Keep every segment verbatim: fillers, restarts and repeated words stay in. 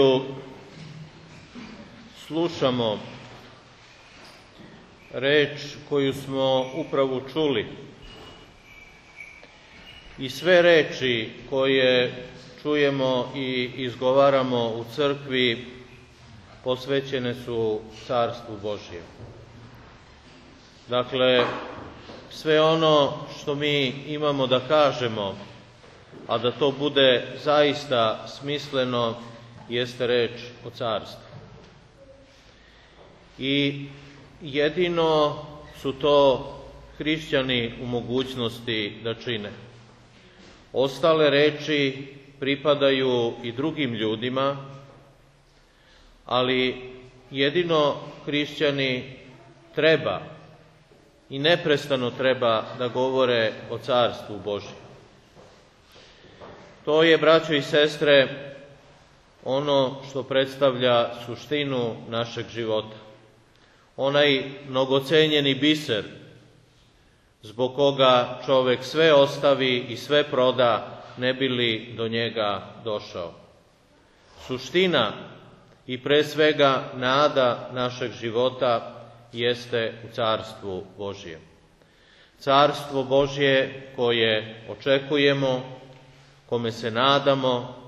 koju slušamo, reč koju smo upravo čuli, i sve reči koje čujemo i izgovaramo u crkvi posvećene su Carstvu Božjem. Dakle, sve ono što mi imamo da kažemo, a da to bude zaista smisleno, jeste reč o carstvu. I jedino su to hrišćani u mogućnosti da čine. Ostale reči pripadaju i drugim ljudima, ali jedino hrišćani treba i neprestano treba da govore o Carstvu Božjem. To je, braćo i sestre, ono što predstavlja suštinu našeg života. Onaj mnogocenjeni biser zbog koga čovek sve ostavi i sve proda ne bi li do njega došao. Suština i pre svega nada našeg života jeste u Carstvu Božjem. Carstvo Božje koje očekujemo, kome se nadamo,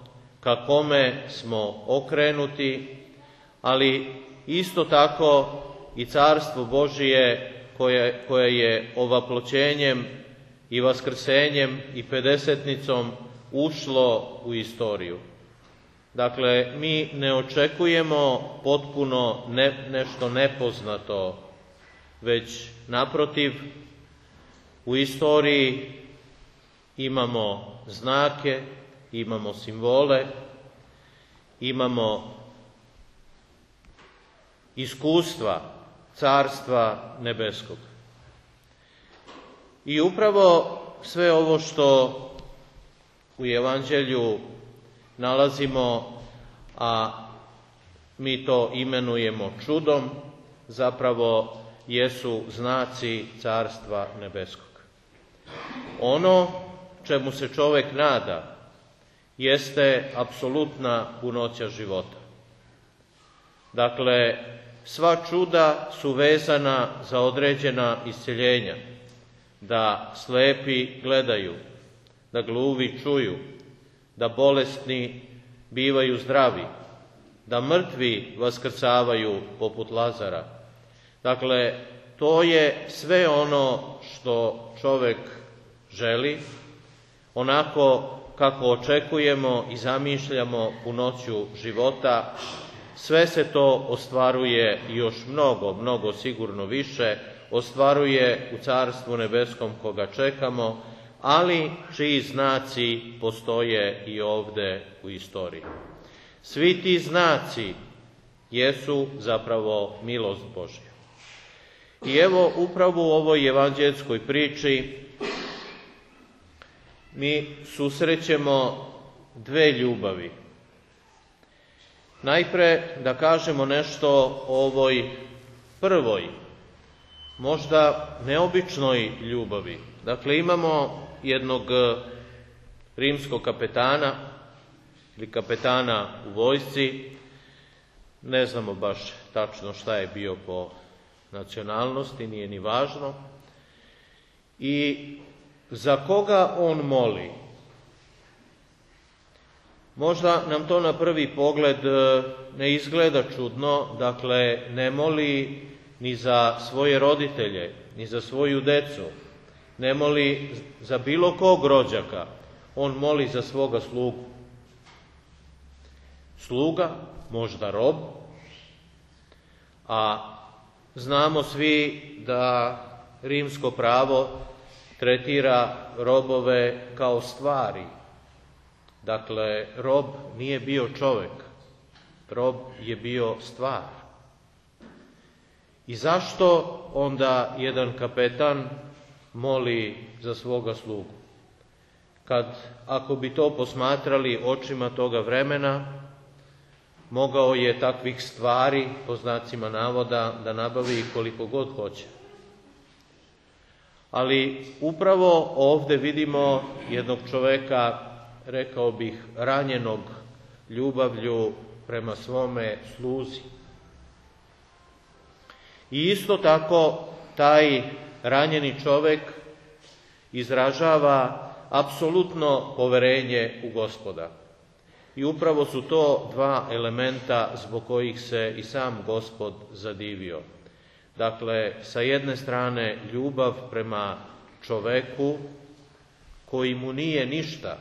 ka kome smo okrenuti, ali isto tako i Carstvo Božje koje, koje je ovaploćenjem i vaskrsenjem i pedesetnicom ušlo u istoriju. Dakle, mi ne očekujemo potpuno ne, nešto nepoznato, već naprotiv, u istoriji imamo znake, imamo simbole, imamo iskustva Carstva Nebeskog. I upravo sve ovo što u Evanđelju nalazimo, a mi to imenujemo čudom, zapravo jesu znaci Carstva Nebeskog. Ono čemu se čovek nada jeste apsolutna punoća života. Dakle, sva čuda su vezana za određena isceljenja, da slepi gledaju, da gluvi čuju, da bolesni bivaju zdravi, da mrtvi vaskrcavaju poput Lazara. Dakle, to je sve ono što čovek želi, onako kako očekujemo i zamišljamo punoću života. Sve se to ostvaruje i još mnogo, mnogo sigurno više, ostvaruje u Carstvu Nebeskom koga čekamo, ali čiji znaci postoje i ovde u istoriji. Svi ti znaci jesu zapravo milost Božja. I evo, upravo u ovoj evanđelskoj priči mi susrećemo dve ljubavi. Najpre da kažemo nešto o ovoj prvoj, možda neobičnoj ljubavi. Dakle, imamo jednog rimskog kapetana ili kapetana u vojsci, ne znamo baš tačno šta je bio po nacionalnosti, nije ni važno, i za koga on moli. Možda nam to na prvi pogled ne izgleda čudno, dakle, ne moli ni za svoje roditelje, ni za svoju decu, ne moli za bilo kog rođaka, on moli za svoga slugu. Sluga, možda rob, a znamo svi da rimsko pravo tretira robove kao stvari. Dakle, rob nije bio čovek, rob je bio stvar. I zašto onda jedan kapetan moli za svoga slugu? Kad, ako bi to posmatrali očima toga vremena, mogao je takvih stvari, po znacima navoda, da nabavi koliko god hoće. Ali upravo ovde vidimo jednog čoveka, rekao bih, ranjenog ljubavlju prema svome sluzi. I isto tako taj ranjeni čovjek izražava apsolutno poverenje u Gospoda. I upravo su to dva elementa zbog kojih se i sam Gospod zadivio. Dakle, sa jedne strane ljubav prema čoveku koji mu nije ništa,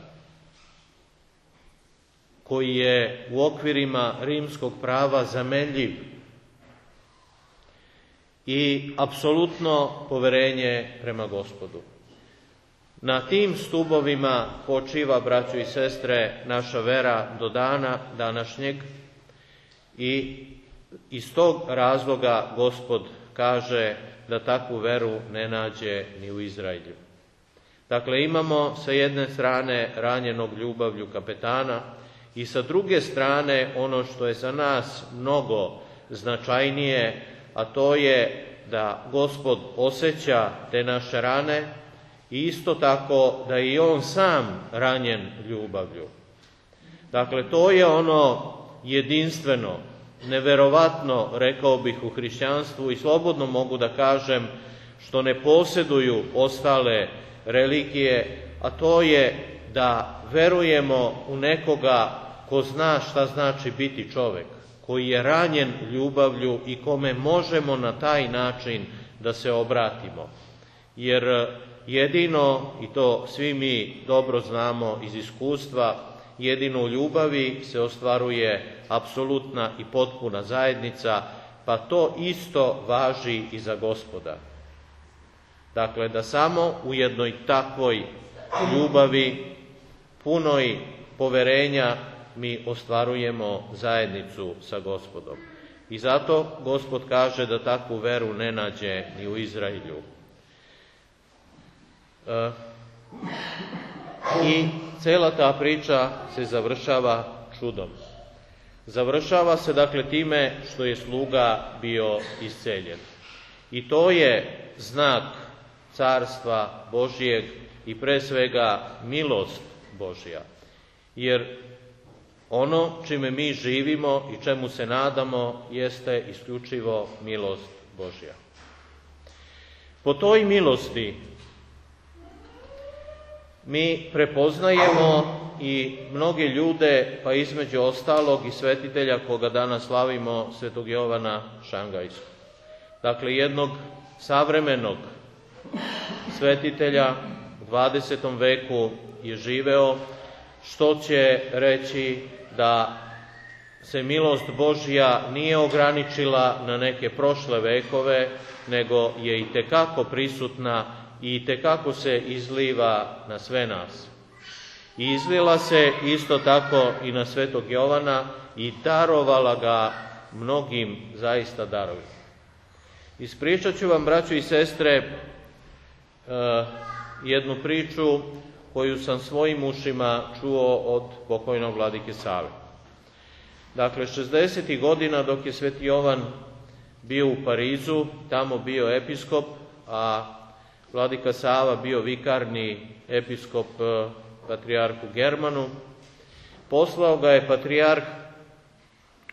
koji je u okvirima rimskog prava zamenljiv, i apsolutno poverenje prema Gospodu. Na tim stubovima počiva, braćo i sestre, naša vera do dana današnjeg i iz tog razloga Gospod kaže da takvu veru ne nađe ni u Izraelju. Dakle, imamo sa jedne strane ranjenog ljubavlju kapetana i sa druge strane ono što je za nas mnogo značajnije, a to je da Gospod osjeća te naše rane i isto tako da je i on sam ranjen ljubavlju. Dakle, to je ono jedinstveno, neverovatno, rekao bih, u hrišćanstvu i slobodno mogu da kažem što ne posjeduju ostale religije, a to je da verujemo u nekoga ko zna šta znači biti čovjek, koji je ranjen ljubavlju i kome možemo na taj način da se obratimo. Jer jedino, i to svi mi dobro znamo iz iskustva, jedino u ljubavi se ostvaruje apsolutna i potpuna zajednica, pa to isto važi i za Gospoda. Dakle, da samo u jednoj takvoj ljubavi, punoj poverenja, mi ostvarujemo zajednicu sa Gospodom. I zato Gospod kaže da takvu veru ne nađe ni u Izraelju. E, I cela ta priča se završava čudom. Završava se dakle time što je sluga bio isceljen. I to je znak carstva Božijeg i pre svega milost Božja. Jer ono čime mi živimo i čemu se nadamo jeste isključivo milost Božja. Po toj milosti mi prepoznajemo i mnoge ljude, pa između ostalog i svetitelja koga danas slavimo, svetog Jovana Šangajskog. Dakle, jednog savremenog svetitelja u dvadesetom veku je živeo, što će reći da se milost Božja nije ograničila na neke prošle vekove, nego je i tekako prisutna i itekako se izliva na sve nas. I izlila se isto tako i na svetog Jovana i darovala ga mnogim zaista darovima. Ispričat ću vam, braćo i sestre, jednu priču koju sam svojim ušima čuo od pokojnog vladike Save. Dakle, šezdesetih godina dok je sveti Jovan bio u Parizu, tamo bio episkop, a vladika Sava bio vikarni episkop patrijarhu Germanu, poslao ga je patrijarh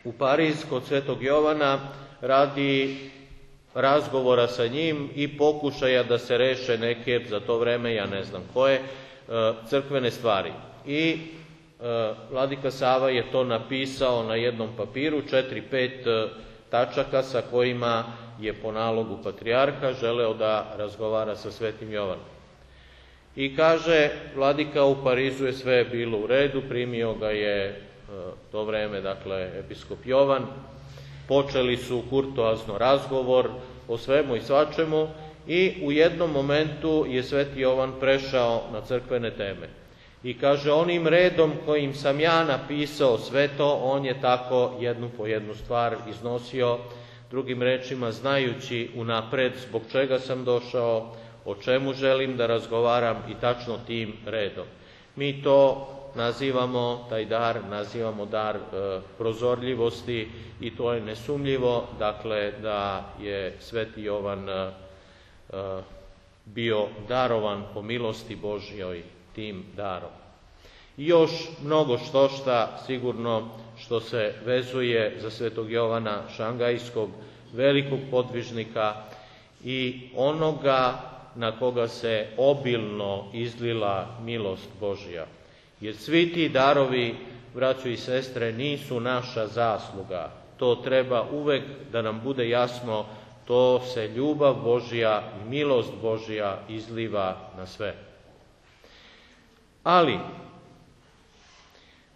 u Pariz kod svetog Jovana radi razgovora sa njim i pokušaja da se reše neke, za to vreme, ja ne znam koje, crkvene stvari. I vladika Sava je to napisao na jednom papiru, četiri, pet tačaka sa kojima je po nalogu patrijarha želeo da razgovara sa svetim Jovanom. I kaže, vladika, u Parizu je sve bilo u redu, primio ga je to vreme, dakle, episkop Jovan, počeli su kurtoazno razgovor o svemu i svačemu i u jednom momentu je sveti Jovan prešao na crkvene teme. I kaže, onim redom kojim sam ja napisao sve to, on je tako jednu po jednu stvar iznosio, drugim rečima, znajući unapred zbog čega sam došao, o čemu želim da razgovaram i tačno tim redom. Mi to nazivamo, taj dar, nazivamo dar e, prozorljivosti i to je nesumnjivo, dakle, da je sveti Jovan e, bio darovan po milosti Božjoj tim darom. I još mnogo što šta sigurno što se vezuje za svetog Jovana Šangajskog, velikog podvižnika i onoga na koga se obilno izlila milost Božja. Jer svi ti darovi, braćo i sestre, nisu naša zasluga. To treba uvek da nam bude jasno, to se ljubav Božja i milost Božja izliva na sve. Ali,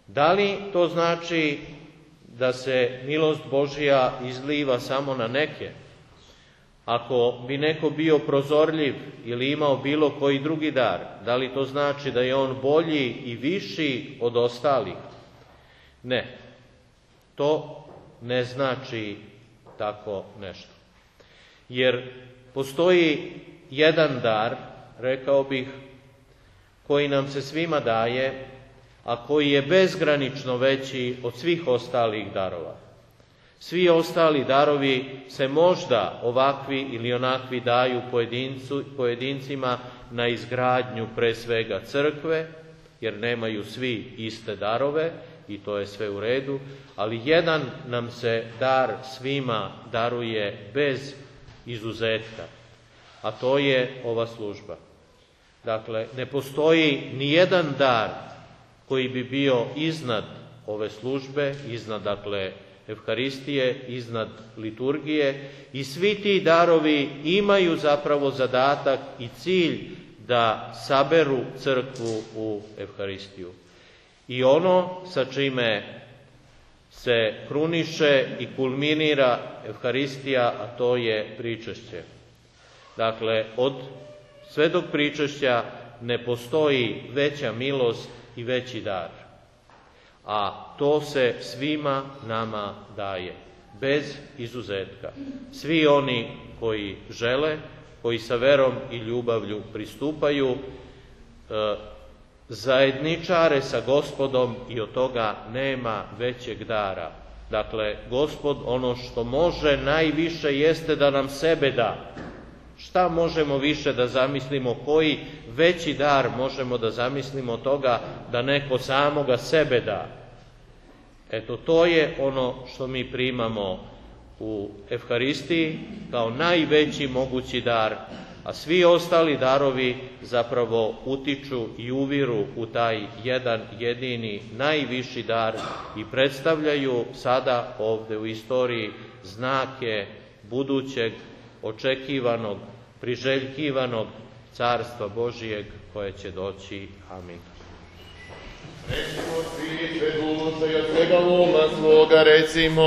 da li to znači da se milost Božja izliva samo na neke? Ako bi neko bio prozorljiv ili imao bilo koji drugi dar, da li to znači da je on bolji i viši od ostalih? Ne, to ne znači tako nešto. Jer postoji jedan dar, rekao bih, koji nam se svima daje, a koji je bezgranično veći od svih ostalih darova. Svi ostali darovi se možda ovakvi ili onakvi daju pojedincu, pojedincima na izgradnju pre svega crkve, jer nemaju svi iste darove i to je sve u redu, ali jedan nam se dar svima daruje bez izuzetka, a to je ova služba. Dakle, ne postoji ni jedan dar koji bi bio iznad ove službe, iznad, dakle, Evharistije, iznad liturgije, i svi ti darovi imaju zapravo zadatak i cilj da saberu crkvu u Evharistiju. I ono sa čime se kruniše i kulminira Evharistija, a to je pričešće. Dakle, od svetog pričešća ne postoji veća milost i veći dar. A to se svima nama daje, bez izuzetka. Svi oni koji žele, koji sa verom i ljubavlju pristupaju, e, zajedničare sa Gospodom i od toga nema većeg dara. Dakle, Gospod ono što može najviše jeste da nam sebe da. Šta možemo više da zamislimo, koji veći dar možemo da zamislimo od toga da neko samoga sebe da? Eto, to je ono što mi primamo u Evharistiji kao najveći mogući dar, a svi ostali darovi zapravo utiču i uviru u taj jedan jedini najviši dar i predstavljaju sada ovde u istoriji znake budućeg, očekivanog, priželjkivanog Carstva Božijeg koje će doći. Amin. Recimo svi sve duše i od svega uma svoga recimo.